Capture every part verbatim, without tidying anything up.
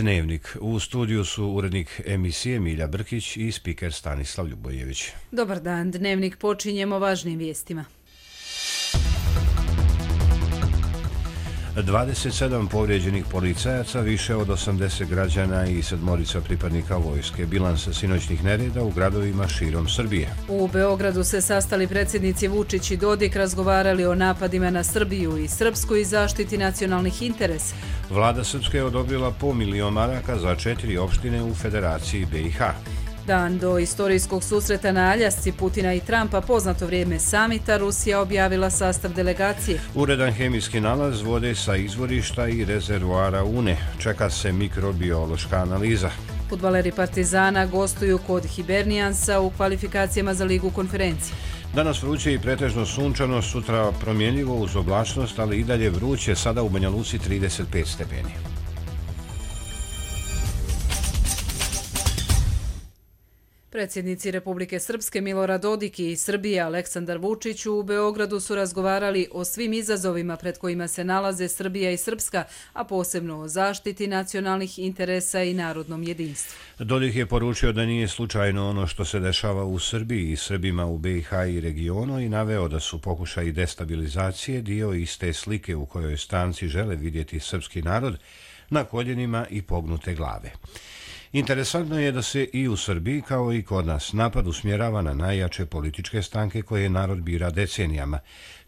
Dnevnik. U studiju su urednik emisije Milja Brkić i spiker Stanislav Ljubojević. Dobar dan, Dnevnik počinjemo važnim vijestima. dvadeset sedam povrijeđenih policajaca, više od osamdeset građana i sedmorica pripadnika vojske. Bilans sinoćnih nereda u gradovima širom Srbije. U Beogradu se sastali predsjednici Vučić i Dodik, razgovarali o napadima na Srbiju i Srpsku i zaštiti nacionalnih interesa. Vlada Srpske je odobrila po milion maraka za četiri opštine u Federaciji B i H. Dan do istorijskog susreta na Aljasci Putina i Trumpa, poznato vrijeme samita, Rusija objavila sastav delegacije. Uredan hemijski nalaz vode sa izvorišta i rezervoara Une. Čeka se mikrobiološka analiza. Fudbaleri Partizana gostuju kod Hibernijansa u kvalifikacijama za Ligu konferencije. Danas vruće i pretežno sunčano, sutra promjenljivo uz oblačnost, ali i dalje vruće, sada u Banja Luci trideset pet stepeni. Predsjednici Republike Srpske Milorad Dodik i Srbije Aleksandar Vučić u Beogradu su razgovarali o svim izazovima pred kojima se nalaze Srbija i Srpska, a posebno o zaštiti nacionalnih interesa i narodnom jedinstvu. Dodik je poručio da nije slučajno ono što se dešava u Srbiji i Srbima u B i H i regionu i naveo da su pokušaji destabilizacije dio iste slike u kojoj stranci žele vidjeti srpski narod na koljenima i pognute glave. Interesantno je da se i u Srbiji, kao i kod nas, napad usmjerava na najjače političke stranke koje narod bira decenijama.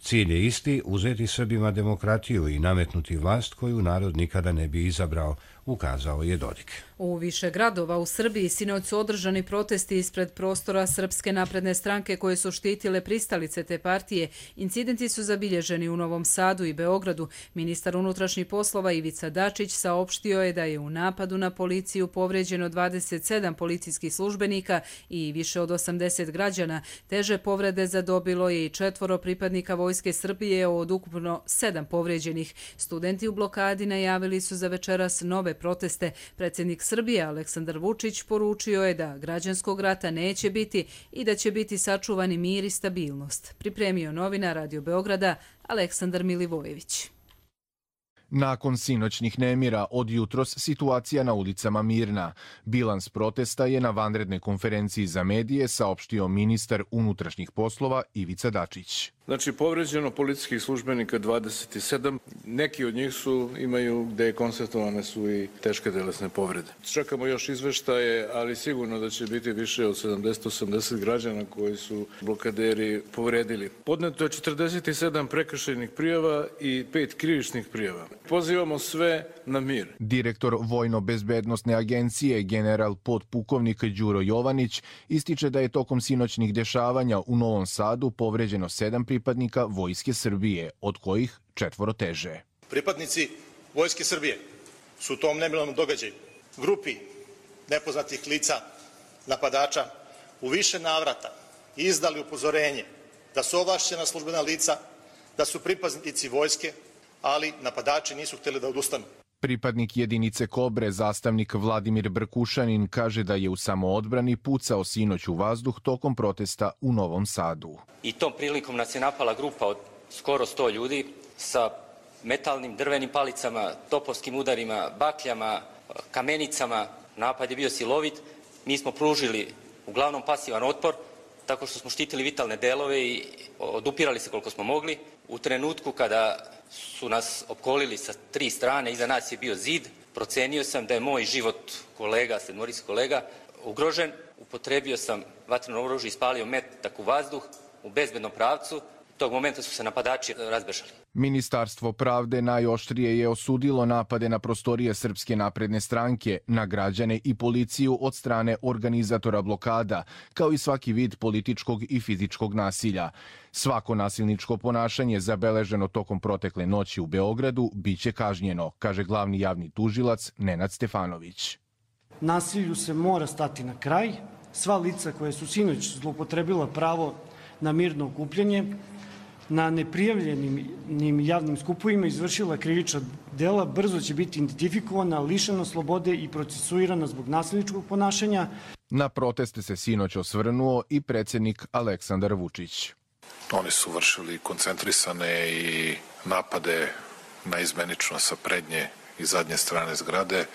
Cilj je isti, uzeti Srbima demokratiju i nametnuti vlast koju narod nikada ne bi izabrao, ukazao je Dodik. U više gradova u Srbiji sinoć su održani protesti ispred prostora Srpske napredne stranke koje su štitile pristalice te partije. Incidenti su zabilježeni u Novom Sadu i Beogradu. Ministar unutrašnjih poslova Ivica Dačić saopštio je da je u napadu na policiju povrijeđeno dvadeset sedam policijskih službenika i više od osamdeset građana. Teže povrede zadobilo je i četvoro pripadnika Vojske Srbije od ukupno sedam povrijeđenih. Studenti u blokadi najavili su za večeras nove proteste. Predsjednik Srbije Aleksandar Vučić poručio je da građanskog rata neće biti i da će biti sačuvani mir i stabilnost. Pripremio novinar Radio Beograda Aleksandar Milivojević. Nakon sinoćnih nemira, od jutros situacija na ulicama mirna. Bilans protesta je na vanrednoj konferenciji za medije saopštio ministar unutrašnjih poslova Ivica Dačić. Znači, povređeno policijskih službenika dvadeset sedam. Neki od njih su, imaju gde je konstatovane su i teške telesne povrede. Čekamo još izveštaje, ali sigurno da će biti više od sedamdeset do osamdeset građana koji su blokaderi povredili. Podneto je četrdeset sedam prekršajnih prijava i pet krivičnih prijava. Pozivamo sve na mir. Direktor Vojno-bezbednosne agencije, general podpukovnik Đuro Jovanić, ističe da je tokom sinoćnih dešavanja u Novom Sadu povređeno sedam pripadnika Vojske Srbije, od kojih četvoro teže. Pripadnici Vojske Srbije su u tom nemilom događaju grupi nepoznatih lica, napadača, u više navrata izdali upozorenje da su ovlašćena službena lica, da su pripadnici vojske, ali napadači nisu htjeli da odustanu. Pripadnik jedinice Kobre, zastavnik Vladimir Brkušanin, kaže da je u samoodbrani pucao sinoć u vazduh tokom protesta u Novom Sadu. I tom prilikom nas je napala grupa od skoro sto ljudi sa metalnim drvenim palicama, topovskim udarima, bakljama, kamenicama. Napad je bio silovit. Mi smo pružili uglavnom pasivan otpor, tako što smo štitili vitalne delove i odupirali se koliko smo mogli. U trenutku kada su nas opkolili sa tri strane, iza nas je bio zid, procenio sam da je moj život kolega, sedmorica kolega, ugrožen. Upotrebio sam vatreno oružje i ispalio metak u vazduh u bezbednom pravcu. Tog momenta su se napadači razbežali. Ministarstvo pravde najoštrije je osudilo napade na prostorije Srpske napredne stranke, na građane i policiju od strane organizatora blokada, kao i svaki vid političkog i fizičkog nasilja. Svako nasilničko ponašanje zabeleženo tokom protekle noći u Beogradu biće kažnjeno, kaže glavni javni tužilac Nenad Stefanović. Nasilju se mora stati na kraj. Sva lica koje su sinoć zloupotrebila pravo na mirno okupljanje, na neprijavljenim javnim skupovima izvršila krivična dela, brzo će biti identifikovana, lišena slobode i procesuirana zbog nasilničkog ponašanja. Na proteste se sinoć osvrnuo i predsjednik Aleksandar Vučić. Oni su vršili koncentrisane i napade naizmenično sa prednje i zadnje strane zgrade,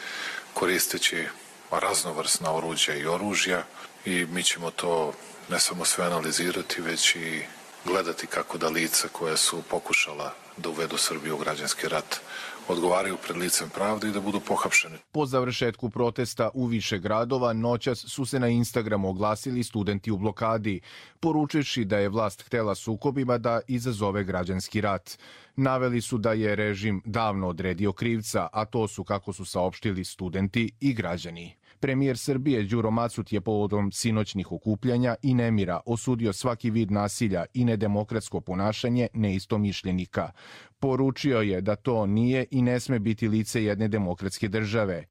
koristeći raznovrsna oruđa i oružja i mi ćemo to ne samo sve analizirati, već i gledati kako da lica koja su pokušala da uvedu Srbiju u građanski rat odgovaraju pred licem pravde i da budu pohapšeni. Po završetku protesta u više gradova noćas su se na Instagramu oglasili studenti u blokadi, poručivši da je vlast htela sukobima da izazove građanski rat. Naveli su da je režim davno odredio krivca, a to su, kako su saopštili, studenti i građani. Premijer Srbije Đuro Macut je povodom sinoćnih okupljanja i nemira osudio svaki vid nasilja i nedemokratsko ponašanje neistomišljenika. Poručio je da to nije i ne sme biti lice jedne demokratske države.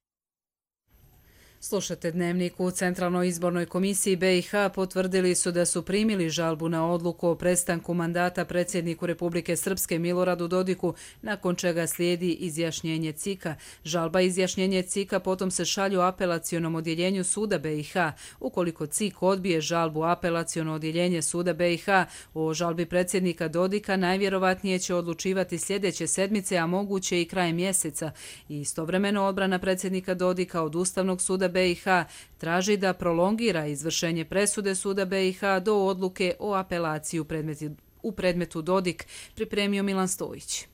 Slušate Dnevnik. U Centralnoj izbornoj komisiji B i H potvrdili su da su primili žalbu na odluku o prestanku mandata predsjedniku Republike Srpske Miloradu Dodiku, nakon čega slijedi izjašnjenje C I K-a. Žalba i izjašnjenje C I K-a potom se šalju apelacionom odjeljenju suda B i H. Ukoliko C I K odbije žalbu, apelaciono odjeljenje suda B i H o žalbi predsjednika Dodika najvjerovatnije će odlučivati sljedeće sedmice, a moguće i krajem mjeseca. I istovremeno odbrana predsjednika Dodika od Ustavnog suda B i H traži da prolongira izvršenje presude suda B i H do odluke o apelaciji u predmetu, u predmetu Dodik, pripremio Milan Stojić.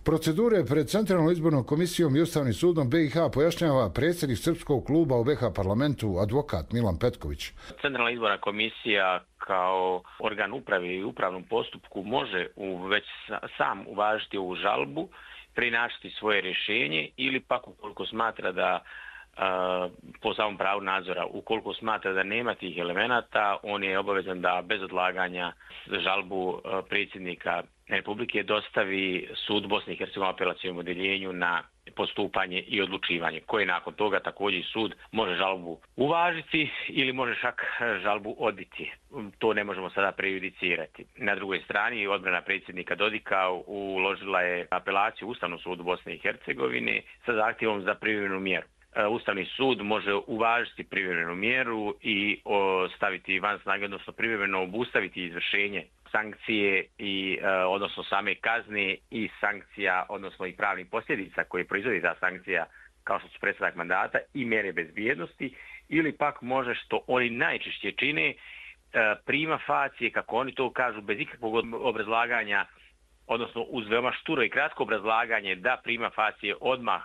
Procedure pred Centralnom izbornom komisijom i Ustavnim sudom B i H pojašnjava predsjednik Srpskog kluba u B i H parlamentu, advokat Milan Petković. Centralna izborna komisija kao organ uprave i upravnom postupku može u, već sam uvažiti ovu žalbu, prinašati svoje rješenje ili pak ukoliko smatra da po samom pravu nadzora, ukoliko smatra da nema tih elemenata, on je obavezan da bez odlaganja žalbu predsjednika Republike dostavi sud Bosne i Hercegovine apelacijom odjeljenju na postupanje i odlučivanje, koje nakon toga također sud može žalbu uvažiti ili može čak žalbu odbiti. To ne možemo sada prejudicirati. Na drugoj strani odbrana predsjednika Dodika uložila je apelaciju Ustavnom sudu Bosne i Hercegovine sa zahtjevom za privremenu mjeru. Ustavni sud može uvažiti privremenu mjeru i staviti van snage, odnosno privremeno obustaviti izvršenje sankcije i odnosno same kazne i sankcija, odnosno i pravnih posljedica koje proizvodi ta sankcija, kao što su prestanak mandata i mjere bezbjednosti, ili pak može, što oni najčešće čine, prima facie, kako oni to kažu, bez ikakvog obrazlaganja, odnosno uz veoma šturo i kratko obrazlaganje, da prima facie odmah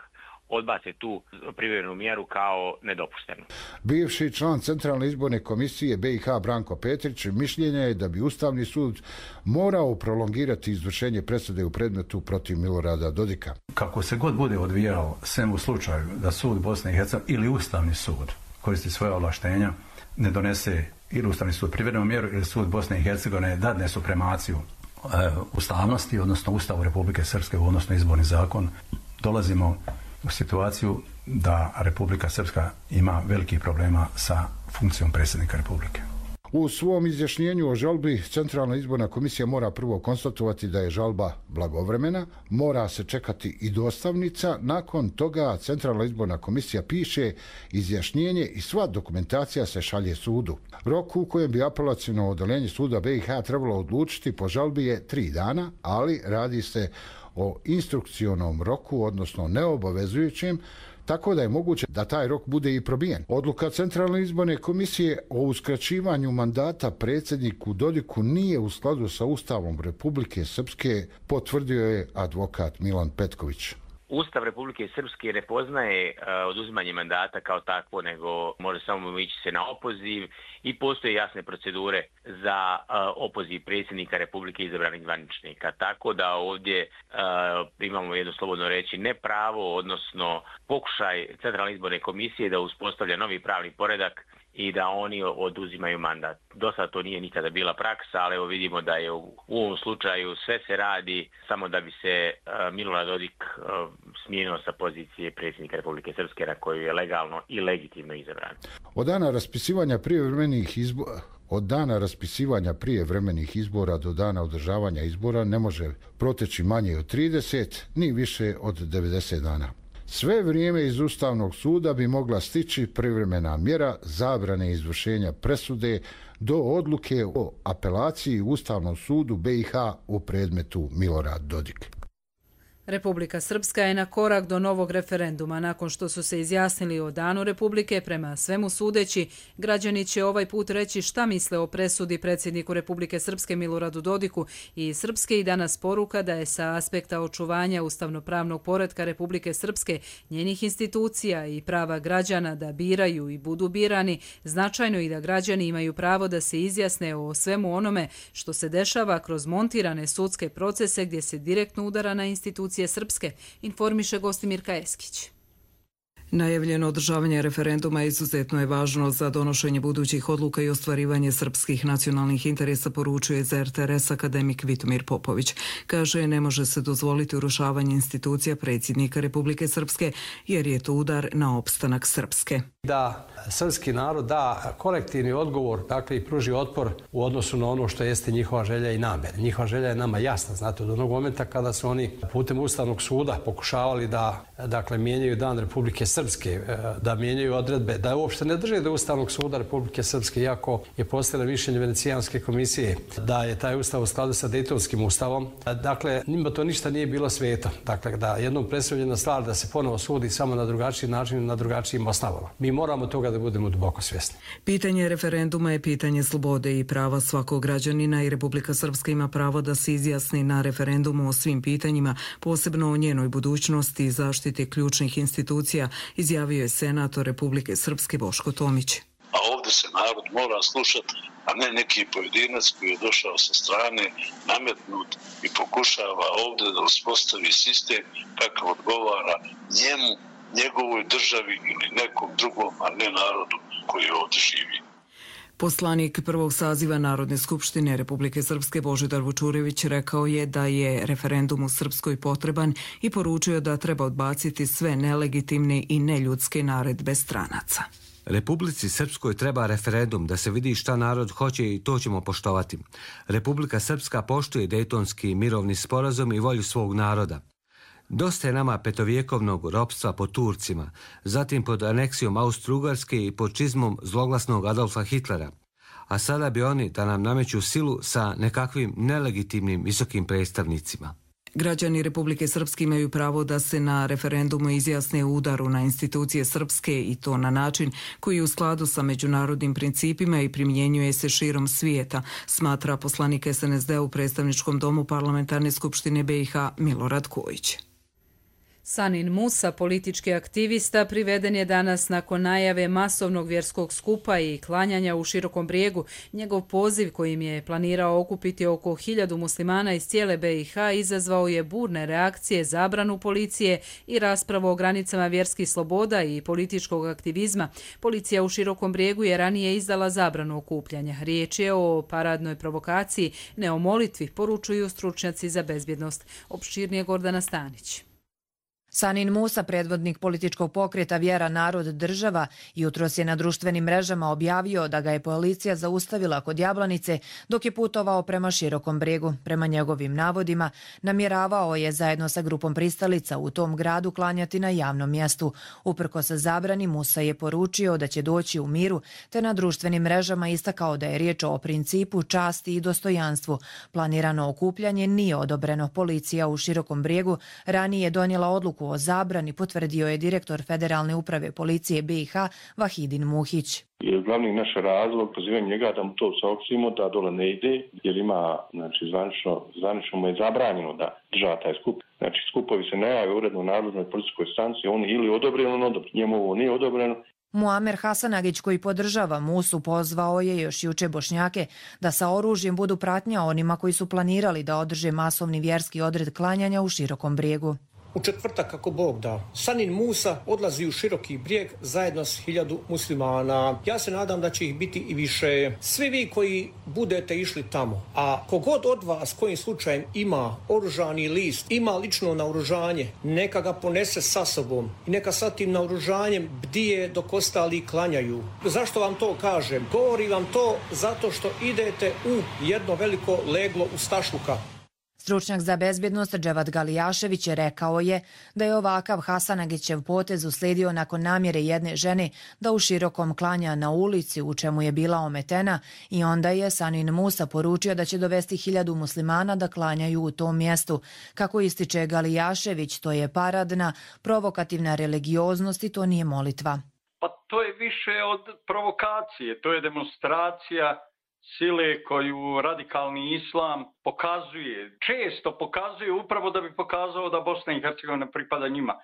odbace tu privremenu mjeru kao nedopuštenu. Bivši član Centralne izborne komisije B i H Branko Petrić mišljenja je da bi Ustavni sud morao prolongirati izvršenje presude u predmetu protiv Milorada Dodika. Kako se god bude odvijao, sem u slučaju da sud Bosne i Hercegovine ili Ustavni sud koristi svoje ovlaštenja, ne donese ili Ustavni sud privremenu mjeru ili sud Bosne i Hercegovine dadne supremaciju e, ustavnosti, odnosno Ustavu Republike Srpske, odnosno izborni zakon, dolazimo u situaciju da Republika Srpska ima velikih problema sa funkcijom predsjednika Republike. U svom izjašnjenju o žalbi Centralna izborna komisija mora prvo konstatovati da je žalba blagovremena, mora se čekati i dostavnica, nakon toga Centralna izborna komisija piše izjašnjenje i sva dokumentacija se šalje sudu. Rok u kojem bi apelaciono odeljenje suda B i H trebalo odlučiti po žalbi je tri dana, ali radi se o instrukcionom roku, odnosno neobavezujućem, tako da je moguće da taj rok bude i probijen. Odluka Centralne izborne komisije o uskraćivanju mandata predsjedniku Dodiku nije u skladu sa Ustavom Republike Srpske, potvrdio je advokat Milan Petković. Ustav Republike Srpske ne poznaje uh, oduzimanje mandata kao takvo, nego može samo ići se na opoziv i postoje jasne procedure za uh, opoziv predsjednika Republike izabranih zvaničnika. Tako da ovdje uh, imamo jedno slobodno reći ne pravo, odnosno pokušaj Centralne izborne komisije da uspostavlja novi pravni poredak i da oni oduzimaju mandat. Do sada to nije nikada bila praksa, ali evo vidimo da je u, u ovom slučaju sve se radi samo da bi se uh, Milorad Dodik uh, smijenio sa pozicije predsjednika Republike Srpske na koju je legalno i legitimno izabran. Od dana raspisivanja prijevremenih izbora Od dana raspisivanja prijevremenih izbora do dana održavanja izbora ne može proteći manje od trideset, ni više od devedeset dana. Sve vrijeme iz Ustavnog suda bi mogla stići privremena mjera zabrane izvršenja presude do odluke o apelaciji u Ustavnom sudu B i H u predmetu Milorad Dodik. Republika Srpska je na korak do novog referenduma. Nakon što su se izjasnili o danu Republike, prema svemu sudeći, građani će ovaj put reći šta misle o presudi predsjedniku Republike Srpske Miloradu Dodiku i Srpske i danas poruka da je sa aspekta očuvanja ustavnopravnog poretka Republike Srpske, njenih institucija i prava građana da biraju i budu birani, značajno i da građani imaju pravo da se izjasne o svemu onome što se dešava kroz montirane sudske procese gdje se direktno udara na institucije Srpske, informiše Gostimirka Eskić. Najavljeno održavanje referenduma izuzetno je važno za donošenje budućih odluka i ostvarivanje srpskih nacionalnih interesa, poručuje za R T R S akademik Vitomir Popović. Kaže, ne može se dozvoliti urušavanje institucija predsjednika Republike Srpske jer je to udar na opstanak Srpske. Da srpski narod da kolektivni odgovor, dakle i pruži otpor u odnosu na ono što jeste njihova želja i namjer. Njihova želja je nama jasna, znate, od onog momenta kada su oni putem Ustavnog suda pokušavali da, dakle, mijenjaju dan Republike Srpske, da mijenjaju odredbe, da uopšte ne drže do Ustavnog suda Republike Srpske, iako je postojalo mišljenje Venecijanske komisije da je taj ustav u skladu sa Dejtonskim ustavom. Dakle, njima to ništa nije bilo sveto. Dakle, da jednom predstavljena stvar da se ponovo sudi samo na drugačiji način, na drugačijim osnovama. Mi moramo toga da budemo duboko svjesni. Pitanje referenduma je pitanje slobode i prava svakog građanina i Republika Srpska ima pravo da se izjasni na referendumu o svim pitanjima, posebno o njenoj budućnosti i zaštiti ključnih institucija, izjavio je senator Republike Srpske Boško Tomić. A ovdje se narod mora slušati, a ne neki pojedinac koji je došao sa strane, nametnut i pokušava ovdje da uspostavi sistem kakav odgovara njemu, njegovoj državi ili nekom drugom, a ne narodu koji ovdje živi. Poslanik prvog saziva Narodne skupštine Republike Srpske Božidar Vučurević rekao je da je referendum u Srpskoj potreban i poručio da treba odbaciti sve nelegitimne i neljudske naredbe stranaca. Republici Srpskoj treba referendum da se vidi šta narod hoće i to ćemo poštovati. Republika Srpska poštuje Dejtonski mirovni sporazum i volju svog naroda. Dosta je nama petovjekovnog ropstva pod Turcima, zatim pod aneksijom Austro-Ugarske i pod čizmom zloglasnog Adolfa Hitlera. A sada bi oni da nam nameću silu sa nekakvim nelegitimnim visokim predstavnicima. Građani Republike Srpske imaju pravo da se na referendumu izjasne udaru na institucije srpske i to na način koji je u skladu sa međunarodnim principima i primjenjuje se širom svijeta, smatra poslanik S N S D u predstavničkom domu Parlamentarne skupštine B i H Milorad Kojić. Sanin Musa, politički aktivista, priveden je danas nakon najave masovnog vjerskog skupa i klanjanja u Širokom Brijegu. Njegov poziv kojim je planirao okupiti oko hiljadu muslimana iz cijele B i H izazvao je burne reakcije, zabranu policije i raspravu o granicama vjerskih sloboda i političkog aktivizma. Policija u Širokom Brijegu je ranije izdala zabranu okupljanja. Riječ je o paradnoj provokaciji, ne o molitvi, poručuju stručnjaci za bezbjednost. Opširnije Gordana Stanić. Sanin Musa, predvodnik političkog pokreta Vjera, narod, država, jutros je na društvenim mrežama objavio da ga je policija zaustavila kod Jablanice dok je putovao prema Širokom Brijegu. Prema njegovim navodima, namjeravao je zajedno sa grupom pristalica u tom gradu klanjati na javnom mjestu. Uprkos zabrani, Musa je poručio da će doći u miru, te na društvenim mrežama istakao da je riječ o principu, časti i dostojanstvu. Planirano okupljanje nije odobreno. Policija u Širokom Brijegu ranije donijela odluku o zabrani, potvrdio je direktor Federalne uprave policije B i H Vahidin Muhić. Glavni naš razlog pozivanje njega da mu to saopštimo da dole ne ide, jer ima, znači, zvanično, zvanično mu je zabranjeno da država taj skup. Znači, skupovi se najave uredno u nadležnoj policijskoj stanciji, oni ili odobreno, ili odobreno. Njemu ovo nije odobreno. Muamer Hasanagić, koji podržava Musu, pozvao je još juče Bošnjake da sa oružjem budu pratnja onima koji su planirali da održe masovni vjerski odred klanjanja u Širokom Brijegu. U četvrtak, kako Bog da, Sanin Musa odlazi u Široki Brijeg zajedno s hiljadu muslimana. Ja se nadam da će ih biti i više. Svi vi koji budete išli tamo, a kogod od vas kojim slučajem ima oružani list, ima lično naoružanje, neka ga ponese sa sobom i neka sa tim naoružanjem bdije dok ostali klanjaju. Zašto vam to kažem? Govorim vam to zato što idete u jedno veliko leglo ustašluka. Stručnjak za bezbjednost Dževad Galijašević rekao je da je ovakav Hasanagićev potez uslijedio nakon namjere jedne žene da u širokom klanja na ulici u čemu je bila ometena i onda je Sanin Musa poručio da će dovesti hiljadu muslimana da klanjaju u tom mjestu. Kako ističe Galijašević, to je paradna, provokativna religioznost i to nije molitva. Pa to je više od provokacije, to je demonstracija sile koju radikalni islam pokazuje, često pokazuje upravo da bi pokazao da Bosna i Hercegovina pripada njima. E,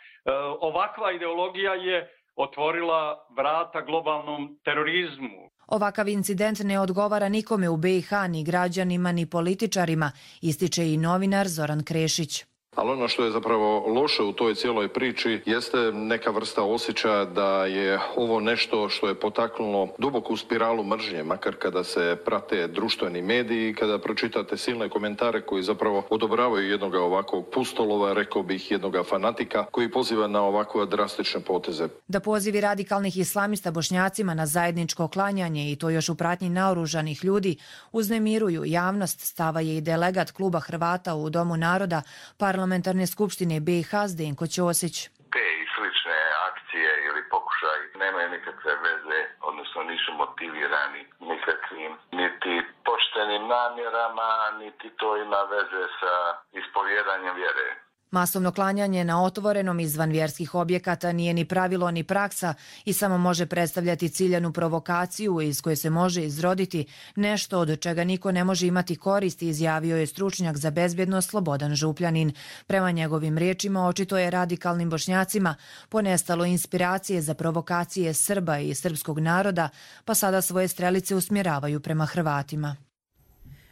ovakva ideologija je otvorila vrata globalnom terorizmu. Ovakav incident ne odgovara nikome u be i ha, ni građanima, ni političarima, ističe i novinar Zoran Krešić. Ali ono što je zapravo loše u toj cijeloj priči jeste neka vrsta osjećaja da je ovo nešto što je potaknulo duboku spiralu mržnje, makar kada se prate društveni mediji, kada pročitate silne komentare koji zapravo odobravaju jednog ovakvog pustolova, rekao bih jednog fanatika koji poziva na ovakve drastične poteze. Da pozivi radikalnih islamista Bošnjacima na zajedničko klanjanje i to još u pratnji naoružanih ljudi uznemiruju javnost, stava je i delegat kluba Hrvata u Domu naroda parlamentarne skupštine be i ha Zdenko Ćosić. Te i slične akcije ili pokušaj nemaju nikakve veze, odnosno nisu motivirani nikakvim niti poštenim namjerama, niti to ima veze sa ispovjedanjem vjere. Masovno klanjanje na otvorenom izvan vjerskih objekata nije ni pravilo ni praksa i samo može predstavljati ciljanu provokaciju iz koje se može izroditi nešto od čega niko ne može imati koristi, izjavio je stručnjak za bezbjednost Slobodan Župljanin. Prema njegovim riječima očito je radikalnim Bošnjacima ponestalo inspiracije za provokacije Srba i srpskog naroda, pa sada svoje strelice usmjeravaju prema Hrvatima.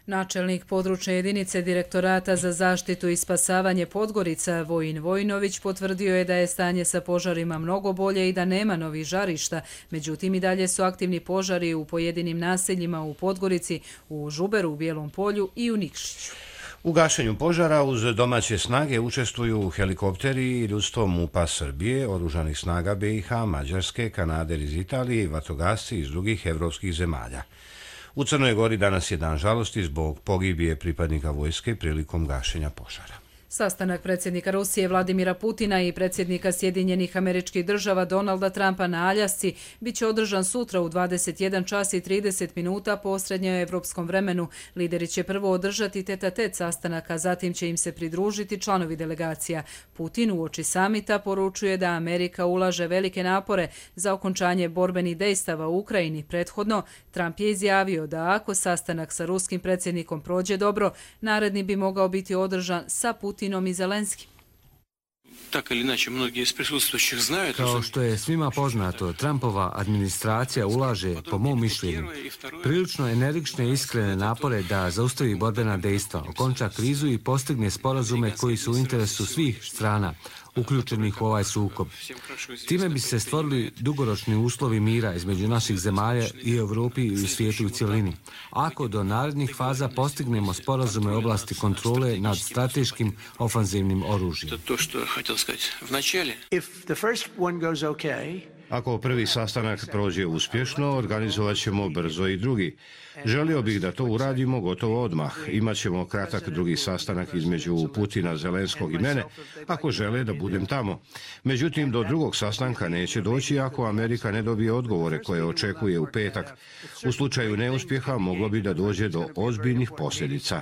Načelnik područne jedinice Direktorata za zaštitu i spasavanje Podgorica Vojin Vojinović potvrdio je da je stanje sa požarima mnogo bolje i da nema novih žarišta. Međutim, i dalje su aktivni požari u pojedinim naseljima u Podgorici, u Žuberu, u Bijelom polju i u Nikšiću. U gašenju požara uz domaće snage učestvuju helikopteri i ljudstvo MUP-a Srbije, oružanih snaga be i ha, Mađarske, Kanade iz Italije i vatrogasci iz drugih evropskih zemalja. U Crnoj Gori danas je dan žalosti zbog pogibije pripadnika vojske prilikom gašenja požara. Sastanak predsjednika Rusije Vladimira Putina i predsjednika Sjedinjenih Američkih Država Donalda Trumpa na Aljasci biće održan sutra u dvadeset jedan čas i trideset minuta po srednjoevropskom vremenu. Lideri će prvo održati tet-a-tet sastanak, a zatim će im se pridružiti članovi delegacija. Putin uoči samita poručuje da Amerika ulaže velike napore za okončanje borbenih dejstava u Ukrajini. Prethodno, Trump je izjavio da ako sastanak sa ruskim predsjednikom prođe dobro, naredni bi mogao biti održan sa Putinom i Zelenskim. Kao što je svima poznato, Trumpova administracija ulaže, po mom mišljenju, prilično energične i iskrene napore da zaustavi borbena dejstva, okonča krizu i postigne sporazume koji su u interesu svih strana uključenih u ovaj sukob. Time bi se stvorili dugoročni uslovi mira između naših zemalja i Evropi i u svijetu u cjelini. Ako do narednih faza postignemo sporazume u oblasti kontrole nad strateškim ofanzivnim oružjem. Ako prvi sastanak prođe uspješno, organizovat ćemo brzo i drugi. Želio bih da to uradimo gotovo odmah. Imaćemo kratak drugi sastanak između Putina, Zelenskog i mene, ako žele da budem tamo. Međutim, do drugog sastanka neće doći ako Amerika ne dobije odgovore koje očekuje u petak. U slučaju neuspjeha moglo bi da dođe do ozbiljnih posljedica.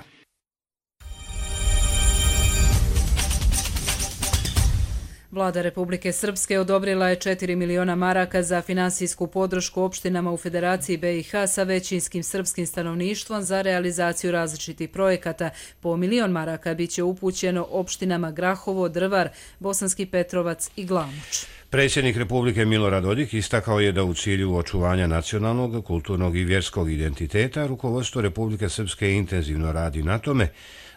Vlada Republike Srpske odobrila je četiri miliona maraka za finansijsku podršku opštinama u Federaciji be i ha sa većinskim srpskim stanovništvom za realizaciju različitih projekata. Po milion maraka biće upućeno opštinama Grahovo, Drvar, Bosanski Petrovac i Glamoč. Predsjednik Republike Milorad Dodik istakao je da u cilju očuvanja nacionalnog, kulturnog i vjerskog identiteta rukovodstvo Republike Srpske intenzivno radi na tome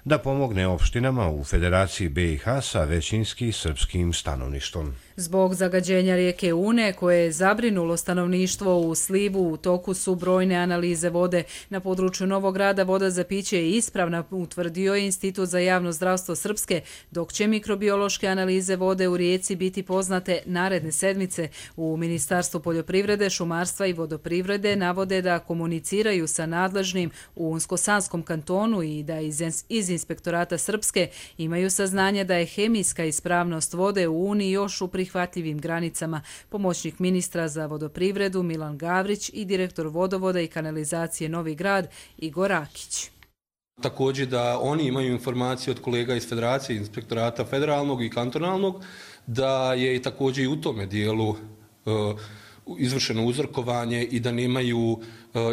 da pomogne opštinama u Federaciji be i ha sa većinski srpskim stanovništvom. Zbog zagađenja rijeke Une, koje je zabrinulo stanovništvo u slivu, u toku su brojne analize vode. Na području Novog Grada voda za piće je ispravna, utvrdio je Institut za javno zdravstvo Srpske, dok će mikrobiološke analize vode u rijeci biti poznate naredne sedmice. U Ministarstvu poljoprivrede, šumarstva i vodoprivrede navode da komuniciraju sa nadležnim u Unsko-Sanskom kantonu i da iz inspektorata Srpske imaju saznanje da je hemijska ispravnost vode u Uniji još u prihvatljivim granicama. Pomoćnik ministra za vodoprivredu Milan Gavrić i direktor vodovoda i kanalizacije Novi Grad Igor Rakić. Također da oni imaju informacije od kolega iz Federacije, inspektorata federalnog i kantonalnog, da je i također i u tome dijelu izvršeno uzorkovanje i da nemaju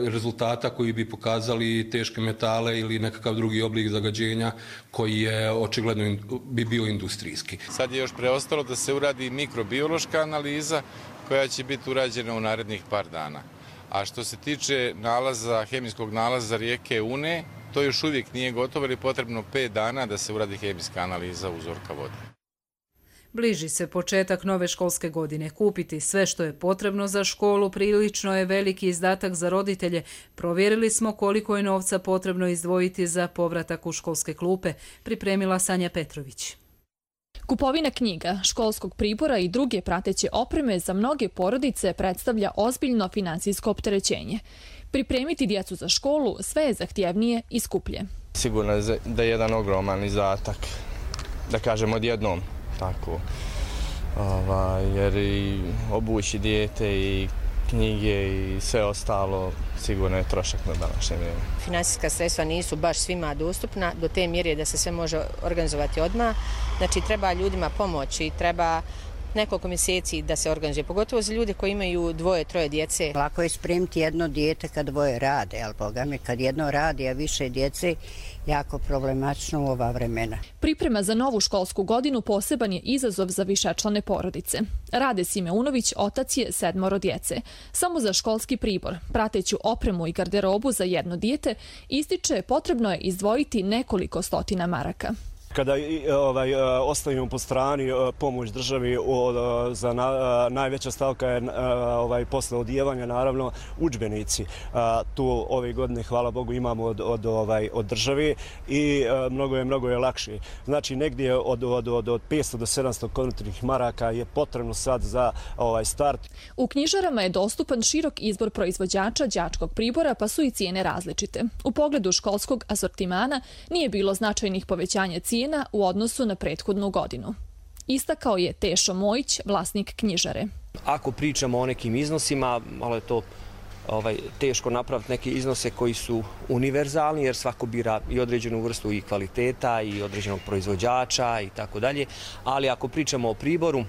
rezultata koji bi pokazali teške metale ili nekakav drugi oblik zagađenja koji je očigledno bi bio industrijski. Sad je još preostalo da se uradi mikrobiološka analiza koja će biti urađena u narednih par dana. A što se tiče nalaza, hemijskog nalaza rijeke Une, to još uvijek nije gotovo, jer je potrebno pet dana da se uradi hemijska analiza uzorka vode. Bliži se početak nove školske godine. Kupiti sve što je potrebno za školu prilično je veliki izdatak za roditelje. Provjerili smo koliko je novca potrebno izdvojiti za povratak u školske klupe, pripremila Sanja Petrović. Kupovina knjiga, školskog pribora i druge prateće opreme za mnoge porodice predstavlja ozbiljno finansijsko opterećenje. Pripremiti djecu za školu sve je zahtjevnije i skuplje. Sigurno je da je jedan ogroman izdatak, da kažemo odjednom. Tako, ovaj, jer i obući dijete i knjige i sve ostalo sigurno je trošak na današnje vrijeme. Finansijska sredstva nisu baš svima dostupna do te mjere da se sve može organizovati odmah. Znači treba ljudima pomoći, treba nekoliko mjeseci da se organizuje, pogotovo za ljude koji imaju dvoje, troje djece. Lako je spremiti jedno dijete kad dvoje rade, ali boga mi kad jedno radi, a više djece, jako problematično u ova vremena. Priprema za novu školsku godinu poseban je izazov za višečlane porodice. Rade Simeunović, otac je sedmoro djece. Samo za školski pribor, prateću opremu i garderobu za jedno dijete, ističe potrebno je izdvojiti nekoliko stotina maraka. Kada ovaj, ostavimo po strani pomoć državi, za na, najveća stavka je ovaj, posle odijevanja, naravno, udžbenici. Tu ove godine, hvala Bogu, imamo od, od, ovaj, od države i mnogo je, mnogo je lakše. Znači, negdje od, od, od, od petsto do sedamsto konvertnih maraka je potrebno sad za ovaj start. U knjižarama je dostupan širok izbor proizvođača đačkog pribora, pa su i cijene različite. U pogledu školskog asortimana nije bilo značajnih povećanja cijena u odnosu na prethodnu godinu. Istakao je Tešo Mojić, vlasnik knjižare. Ako pričamo o nekim iznosima, malo je to ovaj, teško napraviti neke iznose koji su univerzalni, jer svako bira i određenu vrstu i kvaliteta i određenog proizvođača i tako dalje. Ali ako pričamo o priboru,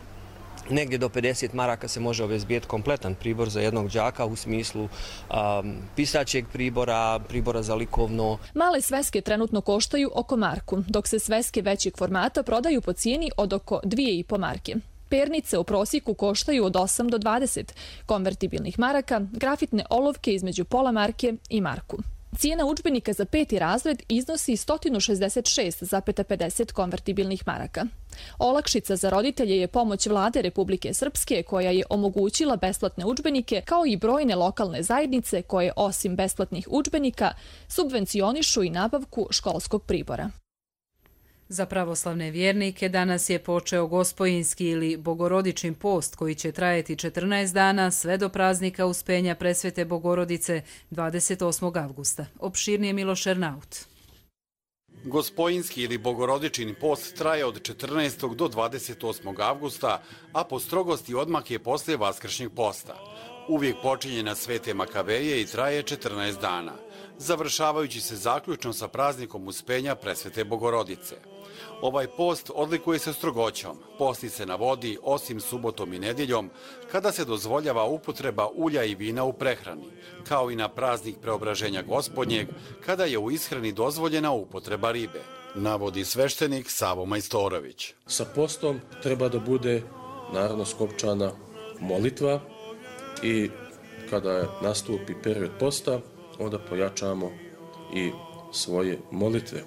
negdje do pedeset maraka se može obezbijeti kompletan pribor za jednog đaka u smislu um, pisaćeg pribora, pribora za likovno. Male sveske trenutno koštaju oko marku, dok se sveske većeg formata prodaju po cijeni od oko dvije i po marke. Pernice u prosjeku koštaju od osam do dvadeset konvertibilnih maraka, grafitne olovke između pola marke i marku. Cijena udžbenika za peti razred iznosi sto šezdeset šest zarez pedeset konvertibilnih maraka. Olakšica za roditelje je pomoć Vlade Republike Srpske koja je omogućila besplatne udžbenike, kao i brojne lokalne zajednice koje osim besplatnih udžbenika subvencionišu i nabavku školskog pribora. Za pravoslavne vjernike danas je počeo Gospojinski ili Bogorodičin post koji će trajati četrnaest dana sve do praznika Uspenja Presvete Bogorodice dvadeset osmog avgusta. Opširnije Miloš Ernaut. Gospojinski ili Bogorodičin post traje od četrnaestog do dvadeset osmog avgusta, a po strogosti odmah je poslije Vaskršnjeg posta. Uvijek počinje na Svete Makaveje i traje četrnaest dana, završavajući se zaključno sa praznikom Uspenja Presvete Bogorodice. Ovaj post odlikuje se strogoćom, posti se na vodi osim subotom i nedjeljom, kada se dozvoljava upotreba ulja i vina u prehrani, kao i na praznik Preobraženja Gospodnjeg, kada je u ishrani dozvoljena upotreba ribe, navodi sveštenik Savo Majstorović. Sa postom treba da bude naravno skopčana molitva i kada nastupi period posta, onda pojačamo i svoje molitve,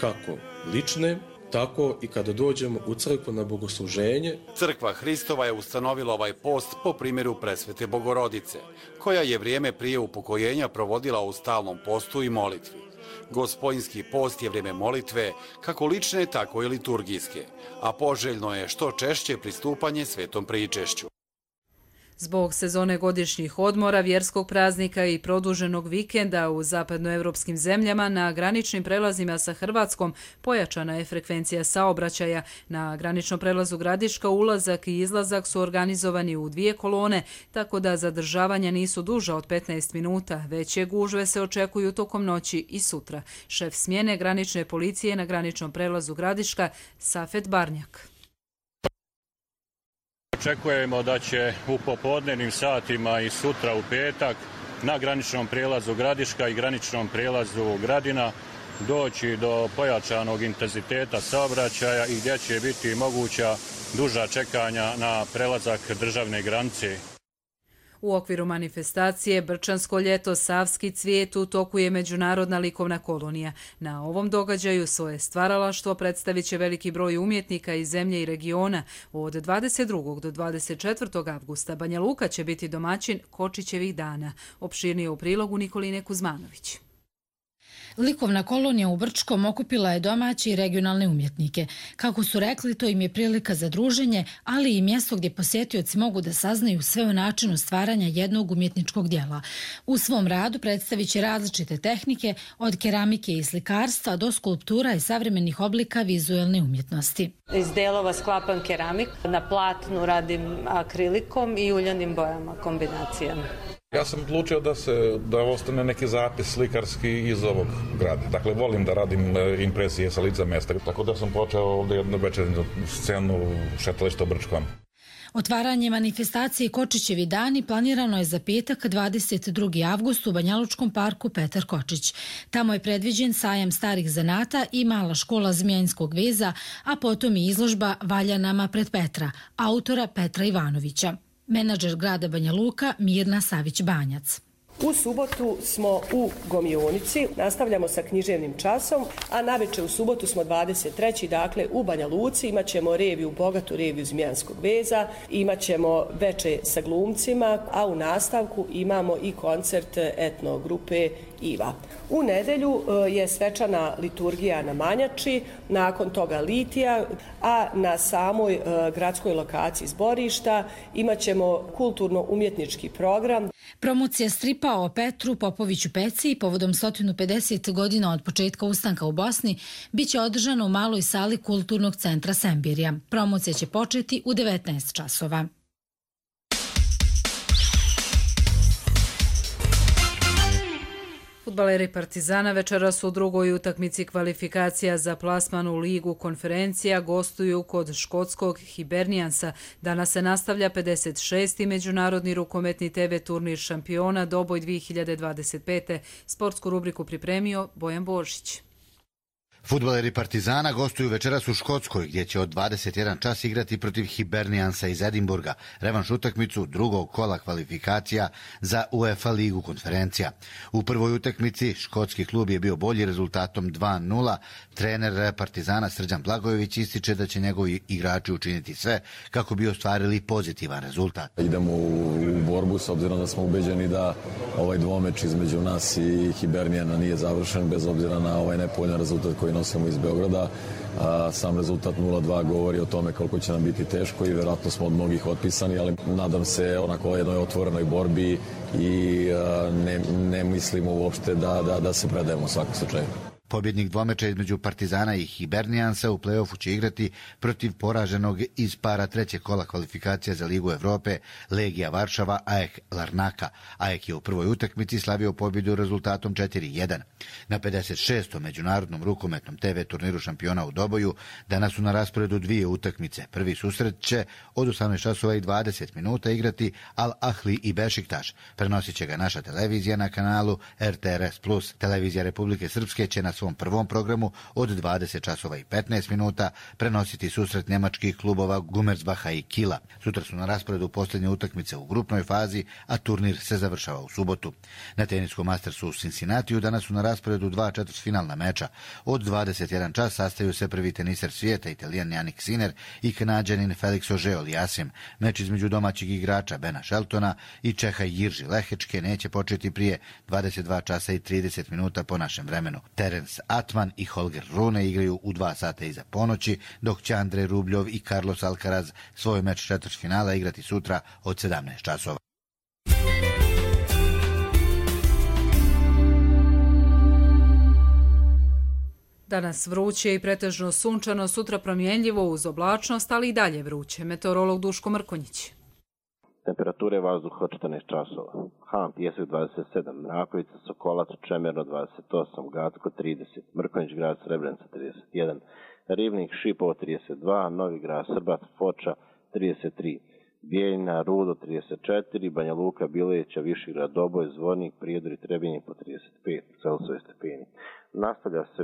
kako lične, tako i kada dođemo u crkvu na bogosluženje. Crkva Hristova je ustanovila ovaj post po primjeru Presvete Bogorodice, koja je vrijeme prije upokojenja provodila u stalnom postu i molitvi. Gospojinski post je vrijeme molitve, kako lične, tako i liturgijske, a poželjno je što češće pristupanje svetom pričešću. Zbog sezone godišnjih odmora, vjerskog praznika i produženog vikenda u zapadnoevropskim zemljama na graničnim prelazima sa Hrvatskom pojačana je frekvencija saobraćaja. Na graničnom prelazu Gradiška ulazak i izlazak su organizovani u dvije kolone, tako da zadržavanja nisu duža od petnaest minuta. Veće gužve se očekuju tokom noći i sutra. Šef smjene granične policije na graničnom prelazu Gradiška, Safet Barnjak. Očekujemo da će u popodnevnim satima i sutra u petak na graničnom prijelazu Gradiška i graničnom prijelazu Gradina doći do pojačanog intenziteta saobraćaja i gdje će biti moguća duža čekanja na prelazak državne granice. U okviru manifestacije Brčansko ljeto, Savski cvijet u toku je međunarodna likovna kolonija. Na ovom događaju svoje stvaralaštvo predstavit će veliki broj umjetnika iz zemlje i regiona. Od dvadeset drugog do dvadeset četvrtog avgusta Banja Luka će biti domaćin Kočićevih dana. Opširnije u prilogu Nikoline Kuzmanović. Likovna kolonija u Brčkom okupila je domaće i regionalne umjetnike. Kako su rekli, to im je prilika za druženje, ali i mjesto gdje posjetioci mogu da saznaju sve o načinu stvaranja jednog umjetničkog dijela. U svom radu predstavit će različite tehnike, od keramike i slikarstva do skulptura i savremenih oblika vizuelne umjetnosti. Iz delova sklapam keramik, na platnu radim akrilikom i uljanim bojama, kombinacijama. Ja sam odlučio da se da ostane neki zapis slikarski iz ovog grada. Dakle, volim da radim impresije sa lica mjesta, tako da sam počeo ovdje jednu večernju scenu šetališta u Brčkom. Otvaranje manifestacije Kočićevi dani planirano je za petak dvadeset drugog avgusta u Banjalučkom parku Petar Kočić. Tamo je predviđen sajam starih zanata i mala škola zmijanskog veza, a potom i izložba Valjanama pred Petra, autora Petra Ivanovića. Menadžer grada Banja Luka Mirna Savić-Banjac. U subotu smo u Gomionici, nastavljamo sa književnim časom, a navečer u subotu smo dvadeset trećeg dakle u Banja Luci, imat ćemo reviju, bogatu reviju Zmijanskog veza, imat ćemo veče sa glumcima, a u nastavku imamo i koncert etno grupe Iva. U nedelju je svečana liturgija na Manjači, nakon toga litija, a na samoj gradskoj lokaciji zborišta imat ćemo kulturno-umjetnički program. Promocija stripa o Petru Popoviću Peci povodom sto pedeset godina od početka ustanka u Bosni biće održana u maloj sali Kulturnog centra Sembirija. Promocija će početi u devetnaest časova. Fudbaleri Partizana večeras u drugoj utakmici kvalifikacija za plasman u ligu konferencija gostuju kod škotskog Hiberniansa. Danas se nastavlja pedeset šesti međunarodni rukometni te ve turnir šampiona Doboj dvije hiljade dvadeset pete. Sportsku rubriku pripremio Bojan Božić. Fudbaleri Partizana gostuju večeras u Škotskoj, gdje će od dvadeset jedan čas igrati protiv Hiberniansa iz Edinburga, revanš utakmicu drugog kola kvalifikacija za UEFA ligu konferencija. U prvoj utakmici škotski klub je bio bolji rezultatom dva nula. Trener Partizana Srđan Blagojević ističe da će njegovi igrači učiniti sve kako bi ostvarili pozitivan rezultat. Idemo u borbu s obzirom da smo ubeđeni da ovaj dvomeč između nas i Hibernijana nije završen, bez obzira na ovaj nepovoljan rezultat koji nosimo iz Beograda. A, sam rezultat nula dva govori o tome koliko će nam biti teško i vjerojatno smo od mnogih otpisani, ali nadam se onako jednoj otvorenoj borbi i a, ne, ne mislimo uopšte da, da, da se predajemo u svakom slučaju. Pobjednik dvomeča između Partizana i Hiberniansa u play-offu će igrati protiv poraženog iz para trećeg kola kvalifikacija za Ligu Evrope Legija Varšava A E K Larnaka. A E K je u prvoj utakmici slavio pobjedu rezultatom četiri jedan. Na pedeset šestom međunarodnom rukometnom te ve turniru šampiona u Doboju danas su na rasporedu dvije utakmice. Prvi susret će od osamnaest časova i dvadeset minuta igrati Al Ahli i Bešiktaš. Prenosit će ga naša televizija na kanalu er te er es plus. Televizija Republike Srpske će na svom prvom programu od dvadeset časova i petnaest minuta prenositi susret njemačkih klubova Gumersbaha i Kila. Sutra su na rasporedu posljednje utakmice u grupnoj fazi, a turnir se završava u subotu. Na teniskom Mastersu u Cincinnatiju danas su na rasporedu dva četvrtfinalna meča. Od dvadeset jedan čas sastaju se prvi teniser svijeta, Italijan Jannik Sinner i Kanadjanin Felix Auger-Aliassime. Meč između domaćeg igrača Bena Sheltona i Čeha Jirži Lehečke neće početi prije dvadeset dva časa i trideset minuta po našem vremenu. Terence Alex Atman i Holger Rune igraju u dva sata iza ponoći, dok će Andrej Rubljov i Carlos Alcaraz svoj meč četvrtfinala igrati sutra od sedamnaest časova. Danas vruće i pretežno sunčano, sutra promjenljivo uz oblačnost, ali i dalje vruće. Meteorolog Duško Mrkonjić. Temperature vazduha četrnaest časova. Han, Pijesak dvadeset sedam, Mrakovica, Sokolac, Čemerno dvadeset osam, Gacko trideset, Mrkonjić grad Srebrenica trideset jedan, Rivnik, Šipovo trideset dva, Novi grad Srbac, Foča trideset tri, Bijeljina, Rudo trideset četiri, Banja Luka, Bileća, Višigrad, Doboj, Zvornik, Prijedor i Trebinje po trideset pet Celsijusa stepeni. Nastavlja se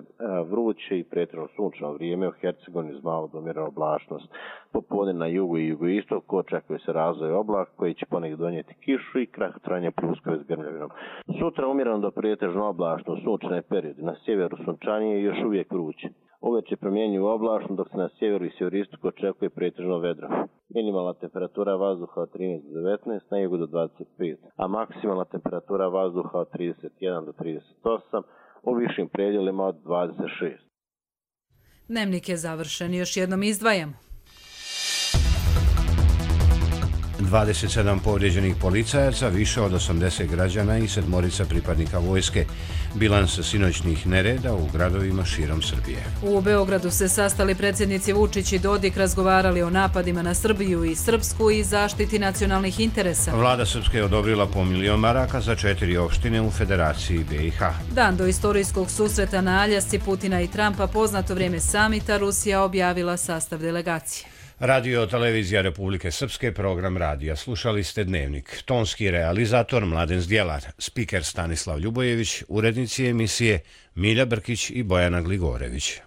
vruće i pretjerano sunčano vrijeme, u Hercegovini uz malo domjerna oblačnost. Popodne na jugu i jugoistoku očekuje se razvoj oblaka koji će ponegdje donijeti kišu i krah trajanja pljuskove s grmljavinom. Sutra umjereno do pretežno oblačno sunčane periode, na sjeveru sunčanije i još uvijek vruće. Uveče promjenjuju oblačno, dok se na sjeveru i sjeveristoku očekuje pretežno vedro. Minimalna temperatura vazduha od trinaest do devetnaest, na jugu do dvadeset pet, a maksimalna temperatura vazduha od trideset jedan do trideset osam, u višim predjelima od dvadeset šest. Dnevnik je završen, još jednom izdvajamo. dvadeset sedam povrijeđenih policajaca, više od osamdeset građana i sedmorica pripadnika vojske. Bilans sinoćnih nereda u gradovima širom Srbije. U Beogradu se sastali predsjednici Vučić i Dodik, razgovarali o napadima na Srbiju i Srpsku i zaštiti nacionalnih interesa. Vlada Srpske je odobrila po milion maraka za četiri opštine u Federaciji B i H. Dan do istorijskog susreta na Aljasci Putina i Trumpa, poznato vrijeme samita, Rusija objavila sastav delegacije. Radio televizija Republike Srpske, program radija. Slušali ste Dnevnik. Tonski realizator Mladen Zdjelar, spiker Stanislav Ljubojević, urednici emisije Milja Brkić i Bojana Gligorević.